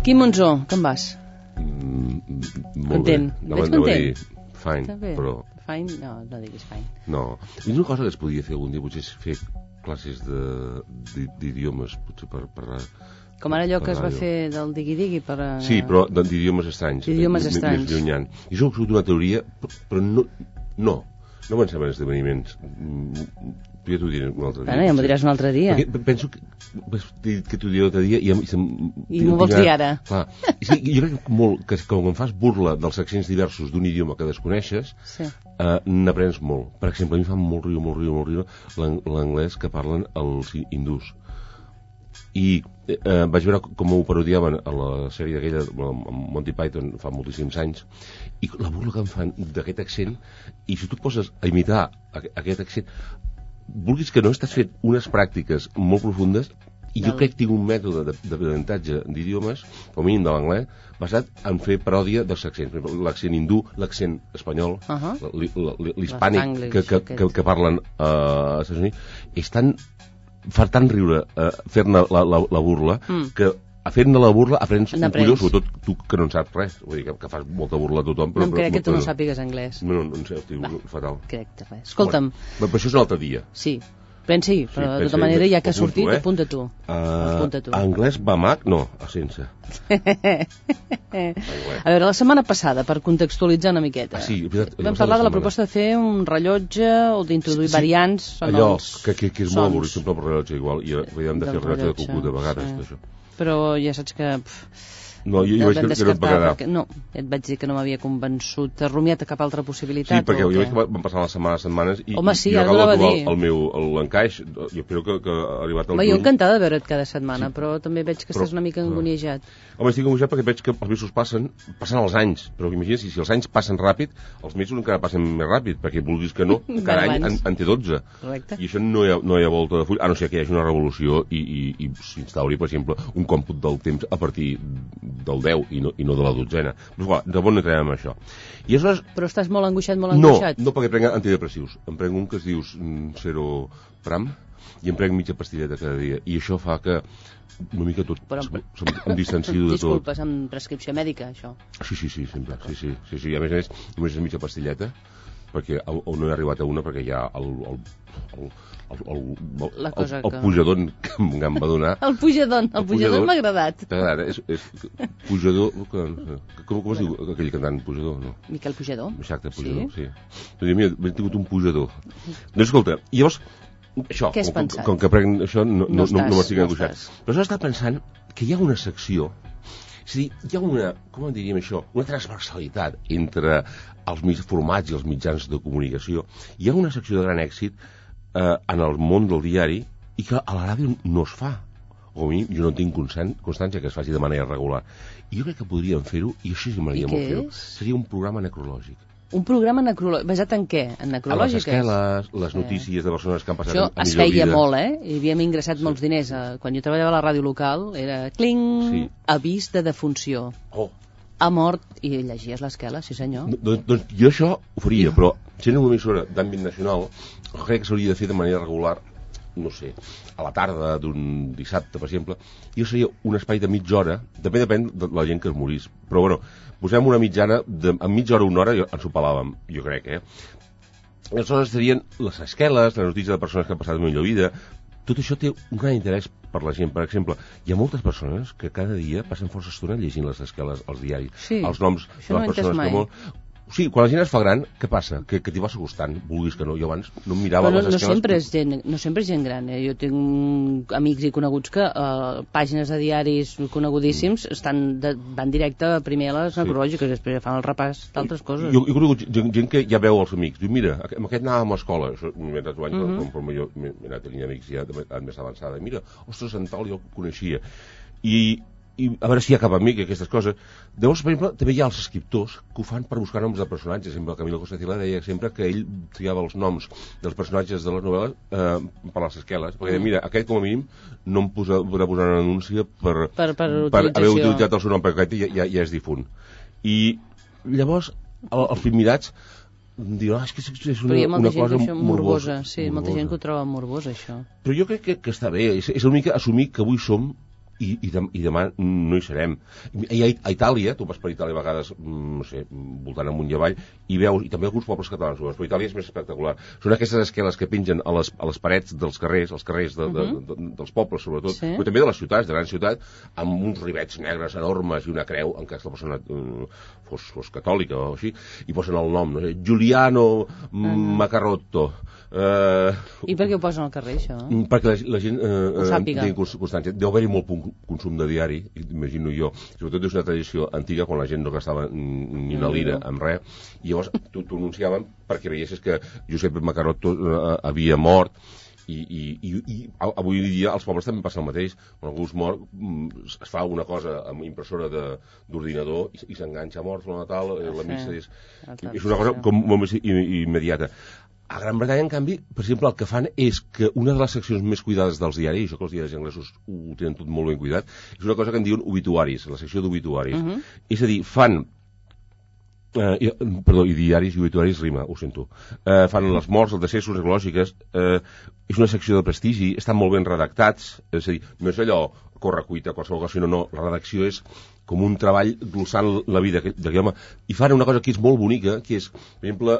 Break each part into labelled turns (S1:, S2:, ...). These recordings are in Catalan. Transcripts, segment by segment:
S1: Quim Monzó, com vas?
S2: Molt
S1: Content.
S2: bé.
S1: Veig content?
S2: Fine, però...
S1: Fine? No, no diguis fine.
S2: No. Una cosa que es podria fer algun dia potser és fer classes d'idiomes, potser per parlar...
S1: Com ara allò que es va fer del digui-digui per...
S2: Sí, però d'idiomes estranys.
S1: D'idiomes estranys.
S2: Més llunyant. I això és una teoria, però no pensem en esdeveniments. Ja t'ho diré un altre dia.
S1: Bueno, ja m'ho diràs un altre dia.
S2: Perquè penso que t'ho diré un altre dia i
S1: m'ho vols dir ara.
S2: Clar. Jo crec molt que quan fas burla dels accents diversos d'un idioma que desconeixes, n'aprens molt. Per exemple, a mi fa molt riure l'anglès que parlen els hindús. I vaig veure com ho parodiaven a la sèrie aquella amb Monty Python fa moltíssims anys, i la burla que em fan d'aquest accent, i si tu et poses a imitar aquest accent, vulguis que no, estàs fent unes pràctiques molt profundes, i jo crec que tinc un mètode d'aprenentatge d'idiomes, com a mínim de l'anglès, basat en fer paròdia dels accents. L'accent hindú, l'accent espanyol, l'hispànic que parlen als Estats Units, és tan... fa tant riure fer-ne la burla que fent-ne la burla aprens un colló, sobretot tu que no en saps res, vull dir que fas molta burla a tothom.
S1: No em crec que tu no sàpigues anglès.
S2: No sé, fatal.
S1: Crec que res. Escolta'm.
S2: Però això és un altre dia.
S1: Sí, pensi, però de tota manera ja que ha sortit, apunta tu.
S2: Anglès va mag? No, sense.
S1: A veure, la setmana passada, per contextualitzar una miqueta, vam parlar de la proposta de fer un rellotge o d'introduir variants en
S2: allò,
S1: els
S2: que és molt avorrit, sempre el rellotge igual, i hem de fer el rellotge de cucut a vegades, això.
S1: Però ja saps que...
S2: No, jo vaig dir que no et pagarà.
S1: No, et vaig dir que no m'havia convençut. Has rumiat a cap altra possibilitat?
S2: Sí, perquè jo veig que van passar les setmanes i
S1: home, sí,
S2: jo
S1: acabo de dir
S2: l'encaix. Jo espero que ha arribat al
S1: juny. Jo encantada de veure't cada setmana, però també veig que estàs una mica angoniejat.
S2: Home, estic angoniejat perquè veig que els mesos passen els anys, però imagina si els anys passen ràpid, els mesos encara passen més ràpid, perquè vulguis que no, cada any en té 12.
S1: Correcte.
S2: I això no hi ha volta de full, a no ser que hi hagi una revolució i s'instauri, per exemple, un còmput del temps a partir del 10 i no de la 12ena. Però clar, de bon no entrem amb això. I aleshores...
S1: Però estàs molt angoixat, molt angoixat?
S2: No, perquè prenc antidepressius. Em prenc un que es diu Seropram i em prenc mitja pastilleta cada dia. I això fa que una mica tot em distancio de tot.
S1: Disculpes, amb prescripció mèdica, això?
S2: Sí, sempre. Sí. I a més, només és mitja pastilleta, perquè no he arribat a una perquè hi ha el pujador que em va donar.
S1: El pujador m'ha agradat.
S2: T'agrada? És pujador... Com es diu aquell cantant pujador? No?
S1: Miquel Pujador?
S2: Exacte, pujador, sí. Doncs mira, m'he tingut un pujador. Doncs escolta, llavors, això,
S1: què has pensat?
S2: Com que prenc això, no m'estic angoixat. Però jo estava pensant que hi ha una secció, és a dir, hi ha una, com en diríem això, una transversalitat entre els formats i els mitjans de comunicació. Hi ha una secció de gran èxit en el món del diari i que a la ràdio no es fa. O a mi, jo no tinc constància que es faci de manera regular. I jo crec que podríem fer-ho, i això sí m'agradaria molt fer-ho. Seria un programa necrològic.
S1: Un programa necrològic? Basat en què? En necrològiques?
S2: A les esqueles, les notícies de persones que han passat a millor vida.
S1: Això es feia molt, Hi havíem ingressat molts diners. Quan jo treballava a la ràdio local, era cling, avís de defunció. Ha mort, i llegies l'esquela, sí senyor.
S2: Doncs jo això ho faria, però sent una emissora d'àmbit nacional, crec que s'hauria de fer de manera regular, no sé, a la tarda d'un dissabte, per exemple, i jo seria un espai de mitja hora, també depèn de la gent que es morís, però bueno, posem una mitjana, en mitja hora o una hora ens ho pelàvem, jo crec, Aleshores serien les esqueles, les notícies de persones que han passat millor vida. Tot això té un gran interès per la gent. Per exemple, hi ha moltes persones que cada dia passen força estona llegint les esqueles, els diaris, els noms de les persones que molt... Sí, quan la gent es fa gran, què passa? Que t'hi vas acostant, vulguis que no. Jo abans no em mirava les esqueles...
S1: No sempre és gent gran, Jo tinc amics i coneguts que pàgines de diaris conegudíssims van directe primer a les necrològiques, després fan el repàs d'altres coses.
S2: Jo he conegut gent que ja veu els amics. Diu, mira, amb aquest anàvem a l'escola. Això m'he anat anys, però jo m'he anat tenint amics ja més avançada. Mira, ostres, en tal jo el coneixia. I a veure si hi ha cap amic i aquestes coses. Llavors, per exemple, també hi ha els escriptors que ho fan per buscar noms de personatges. Sempre Camilo Costacila deia sempre que ell triava els noms dels personatges de les novel·les per les esqueles, perquè mira, aquest com a mínim no em podrà posar una anúncia per haver utilitzat el seu nom, perquè aquest ja és difunt. I llavors els primirats diuen, és que és una cosa morbosa.
S1: Sí, molta gent que ho troba morbós, això.
S2: Però jo crec que està bé, és una mica assumir que avui som i demà no hi serem. I a Itàlia, tu vas per Itàlia a vegades, no sé, voltant amunt i avall, i veus, i també alguns pobles catalans, però Itàlia és més espectacular. Són aquestes esqueles que pengen a les parets dels carrers, als carrers dels pobles, sobretot, però també de les ciutats, de grans ciutats, amb uns rivets negres enormes i una creu en cas la persona fos catòlica o així, i posen el nom, no sé, Giuliano Macarrotto.
S1: I per què ho posen al carrer, això?
S2: Perquè la gent
S1: sàpiga.
S2: té constància. Deu haver-hi molt consum de diari, imagino jo. Sobretot és una tradició antiga, quan la gent no gastava ni una lira en res, i llavors t'ho anunciaven perquè veiessis que Josep Macarotto havia mort, i avui dia als pobles també passa el mateix. Quan algú es mor, es fa una cosa amb impressora d'ordinador i s'enganxa mort, la Natal, la missa és una cosa com molt més immediata. A Gran Bretanya, en canvi, per exemple, el que fan és que una de les seccions més cuidades dels diaris, això que els diaris anglesos ho tenen tot molt ben cuidat, és una cosa que en diuen obituaris, la secció d'obituaris. És a dir, fan... i diaris i obituaris rima, ho sento. Fan les morts, els decessos, les ecològiques, és una secció de prestigi, estan molt ben redactats, és a dir, no és allò correcuita, qualsevol cosa, sinó no, la redacció és com un treball glossant la vida d'aquell home, i fan una cosa que és molt bonica, que és, per exemple,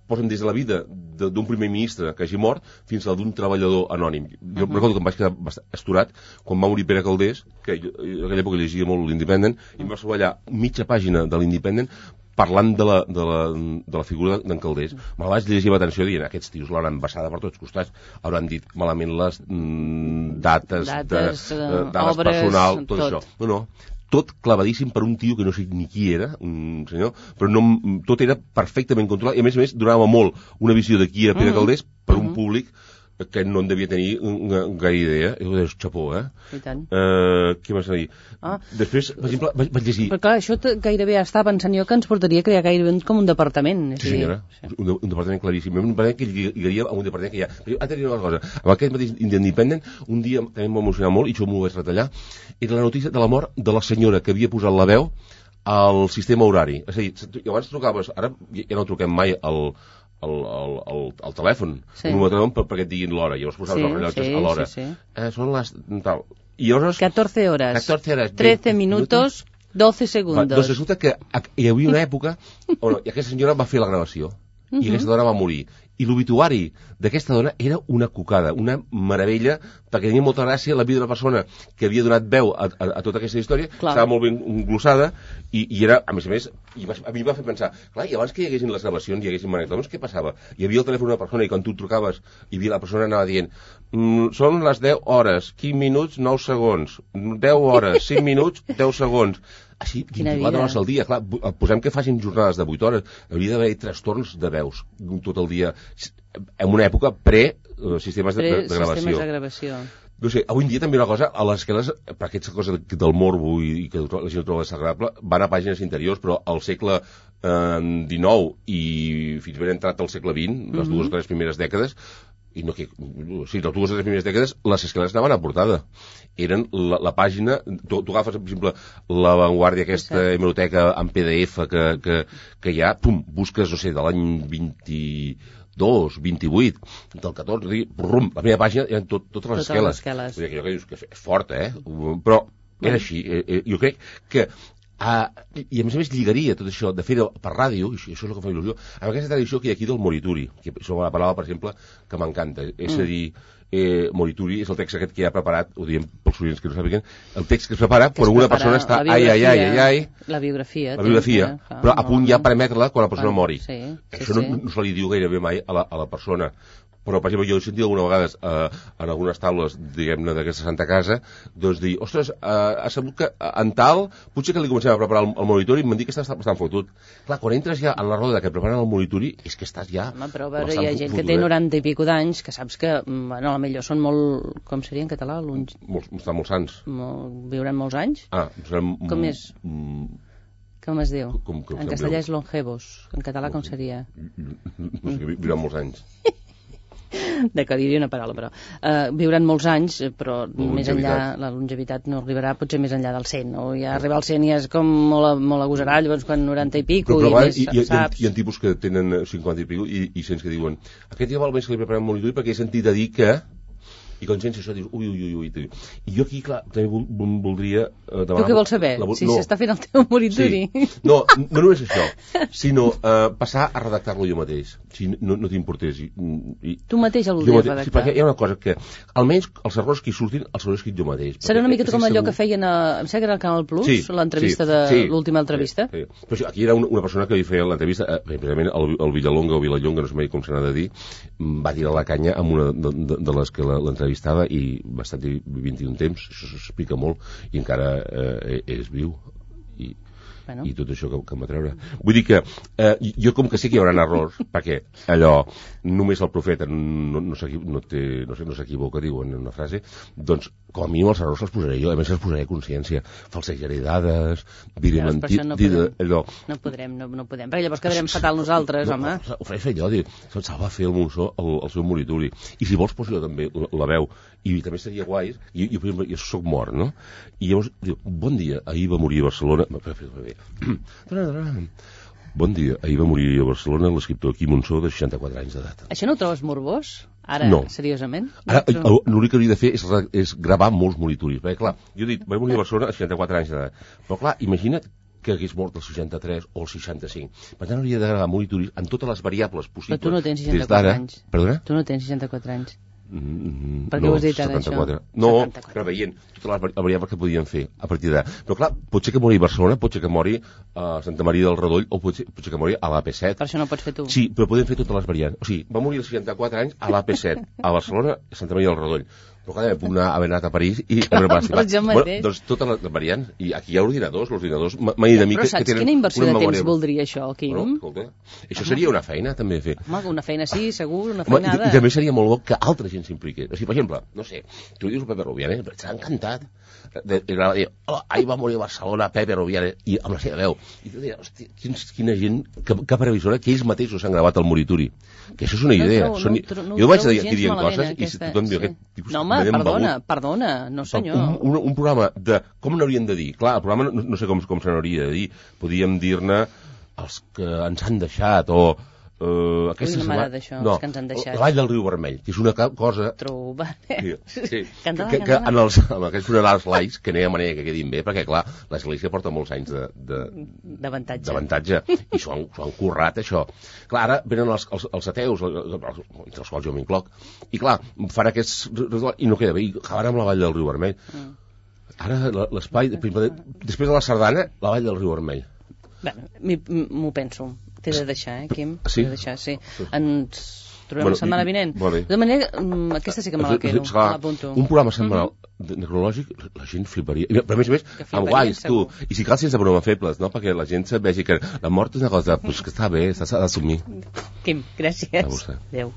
S2: posen des de la vida d'un primer ministre que hagi mort fins a la d'un treballador anònim. Jo recordo que em vaig quedar bastant estorat quan va morir Pere Calders, que jo en aquella època llegia molt l'Independent, i em va treballar mitja pàgina de l'Independent parlant de la figura d'en Calders. Me la vaig llegir amb atenció dient, aquests tios l'hauran vessada per tots costats, hauran dit malament les dates personal, tot això. No, tot clavadíssim per un tio que no sé ni qui era, un senyor, però no, tot era perfectament controlat, i a més donava molt una visió de qui era Pere Calders per un públic que no en devia tenir gaire idea. I ho deies, xapó,
S1: I tant.
S2: Què vas a dir? Després, per exemple, vaig llegir...
S1: Però clar, això gairebé estava pensant jo que ens portaria a crear gairebé com un departament.
S2: Sí, senyora, un departament claríssim. Un departament que lligaria a un departament que hi ha. Però ara t'he una cosa, amb aquest mateix Independent, un dia també em va emocionar molt, i això m'ho vaig retallar, era la notícia de la mort de la senyora que havia posat la veu al sistema horari. És a dir, abans trucaves, ara ja no truquem mai al telèfon, un número perquè et diguin l'hora, llavors posaves els rellotges a l'hora. Són les... tal. I llavors...
S1: 14 horas, 13 minutos, 12 segundos.
S2: Doncs resulta que hi havia una època on aquesta senyora va fer la gravació i aquesta dona va morir. I l'obituari d'aquesta dona era una cocada, una meravella, perquè tenia molta gràcia la vida de la persona que havia donat veu a tota aquesta història, estava molt ben glossada, i era, a més, a mi em va fer pensar, clar, i abans que hi haguessin les gravacions, hi haguessin magnetòfons, què passava? Hi havia el telèfon d'una persona i quan tu trucaves, la persona anava dient, són les 10 hores, 15 minuts, 9 segons, 10 hores, 5 minuts, 10 segons. Així, 24 hores al dia, clar, posem que facin jornades de 8 hores, hauria d'haver trastorns de veus tot el dia, en una època pre-sistemes de gravació. No sé, avui en dia també una cosa, a les esqueles, per aquesta cosa del morbo i que la gent ho troba desagradable, van a pàgines interiors, però al segle XIX i fins ben entrat al segle XX, les dues o tres primeres dècades, les dues o tres primeres dècades, les esqueles anaven a portada. Eren la pàgina, tu agafes, per exemple, la Vanguardia, aquesta hemeroteca en PDF que hi ha, pum, busques, no sé, de l'any 22, 28, del 14, brum, la meva pàgina eren totes les esqueles. Vull dir, allò que dius que és fort, però era així. Jo crec que i a més lligaria tot això de fer-ho per ràdio, i això és el que fa il·lusió, amb aquesta tradició que hi ha aquí del Morituri, que és una paraula, per exemple, que m'encanta, és a dir, Morituri és el text aquest que ja ha preparat, ho diem pels oients que no sàpiguen, el text que es prepara quan una persona està
S1: la biografia,
S2: però a punt ja per emetre-la quan la persona mori. Això no se li diu gairebé mai a la persona. Però, per exemple, jo he sentit alguna vegades en algunes taules, diguem-ne, d'aquesta Santa Casa, doncs dir, ostres, ha sabut que en tal, potser que li comencem a preparar el monitori i m'han dit que està bastant fotut. Clar, quan entres ja en la roda que preparen el monitori, és que estàs ja...
S1: Home, però a veure, hi ha gent que té 90 i pico d'anys, que saps que, bueno, a la millor són molt... Com seria en català?
S2: Estan molt sants.
S1: Viuran molts anys? Com és? Com es diu? En castellà és longevos. En català com seria?
S2: No sé, viuran molts anys.
S1: D'acord, diria una paraula, però viuran molts anys, però més enllà la longevitat no arribarà potser més enllà del 100, no? Ja arribar al 100 ja és com molt agosarà, llavors quan 90 i pico
S2: però
S1: i més, saps?
S2: Hi ha tipus que tenen 50 i pico i cents que diuen, aquest ja val més que li preparem monitori perquè he sentit a dir que... I quan sents això dius, ui. I jo aquí, clar, també voldria
S1: demanar... Tu què vols saber? Si s'està fent el teu moritori.
S2: Sí. No només això, sinó passar a redactar-lo jo mateix, si no t'importés.
S1: Tu mateix el voldries redactar?
S2: Sí, perquè hi ha una cosa que, almenys els errors que hi surtin, els hauré escrit jo mateix.
S1: Serà una mica com allò que feien em sembla que era al Canal Plus, l'entrevista de l'última entrevista.
S2: Sí. Però aquí era una persona que li feia l'entrevista, precisament el Villalonga o Vilallonga, no sé mai com se n'ha de dir, va tirar la canya amb una de les que l'entrevistava i va estar 21 temps, això s'explica molt, i encara és viu. I tot això que em va treure. Vull dir que jo com que sé que hi haurà errors, perquè allò, només el profeta no s'equivoca, diuen en una frase, doncs com a mínim els errors els posaré jo, a més els posaré a consciència, falsejaré dades, diré mentir...
S1: No podrem, perquè llavors quedarem fatal nosaltres, home.
S2: Ho faré fer jo, se'l va fer el Monsó el seu moritori, i si vols poso jo també la veu, i també seria guai, jo soc mort, no? I llavors diu, bon dia, ahir va morir a Barcelona... Bon dia, ahir va morir a Barcelona l'escriptor Quim Monsó de 64 anys d'edat.
S1: Això no ho trobes morbós? Ara, seriosament?
S2: Ara, l'únic que hauria de fer és gravar molts moritoris, perquè clar, jo he dit, va morir a Barcelona a 64 anys d'edat, però clar, imagina't que hagués mort als 63 o als 65. Per tant, hauria de gravar moritoris en totes les variables possibles.
S1: Però tu no tens 64 anys.
S2: Perdona?
S1: Tu no tens 64 anys. Per què
S2: ho
S1: has dit ara,
S2: 74. Això? No, preveient totes les variables que podien fer a partir d'ara. Però clar, pot ser que mori a Barcelona, pot ser que mori a Santa Maria del Redoll o pot ser que mori a l'AP7.
S1: Per això no pots fer tu.
S2: Sí, però podem fer totes les variants. O sigui, va morir als 64 anys a l'AP7, a Barcelona, a Santa Maria del Redoll. Però clar, puc haver anat a París i... Doncs totes les variants. I aquí hi ha ordinadors, m'ha dit a mi que tenen...
S1: Però saps quina inversió de temps voldria això, Quim?
S2: Això seria una feina, també, fer.
S1: Home, una feina sí, segur, una feinada.
S2: I també seria molt bo que altra gent s'impliqui. O sigui, per exemple, no sé, tu dius Pepe Rubianes, però t'ha encantat. I va dir, ahir va morir a Barcelona Pepe Rubianes, i amb la seva veu. I tu dius, hosti, quina gent, que previsora, que ells mateixos s'han gravat el moritori. Que això és una idea. Jo vaig aquí dient coses i si tothom diu aquest tipus...
S1: No, home, perdona, no senyor.
S2: Un programa de com n'haurien de dir. Clar, el programa no sé com se n'hauria de dir. Podíem dir-ne els que ens han deixat o...
S1: Aquesta setmana... d'això, els que ens han deixat.
S2: La Vall del Riu Vermell, que és una cosa...
S1: Troba.
S2: Sí. Que en aquests funerals laics, que no hi ha manera que quedin bé, perquè, clar, l'Església porta molts anys d'avantatge. I s'ho han currat, això. Clar, ara venen els ateus, entre els quals jo m'incloc, i clar, fan aquests... i no queda bé, i acaben amb la Vall del Riu Vermell. Ara l'espai, després de la Sardana, la Vall del Riu Vermell.
S1: Bé, m'ho penso. T'he de deixar, Quim?
S2: Sí?
S1: T'he de deixar, sí. Ens trobem la setmana vinent. De manera, aquesta sí que me la quedo, l'apunto.
S2: Un programa setmanal necrològic, la gent fliparia. Però a més, amb guais, tu. I si cal sense bromes febles, no? Perquè la gent vegi que la mort és una cosa que està bé, s'ha d'assumir.
S1: Quim, gràcies.
S2: A vostè.
S1: Adéu.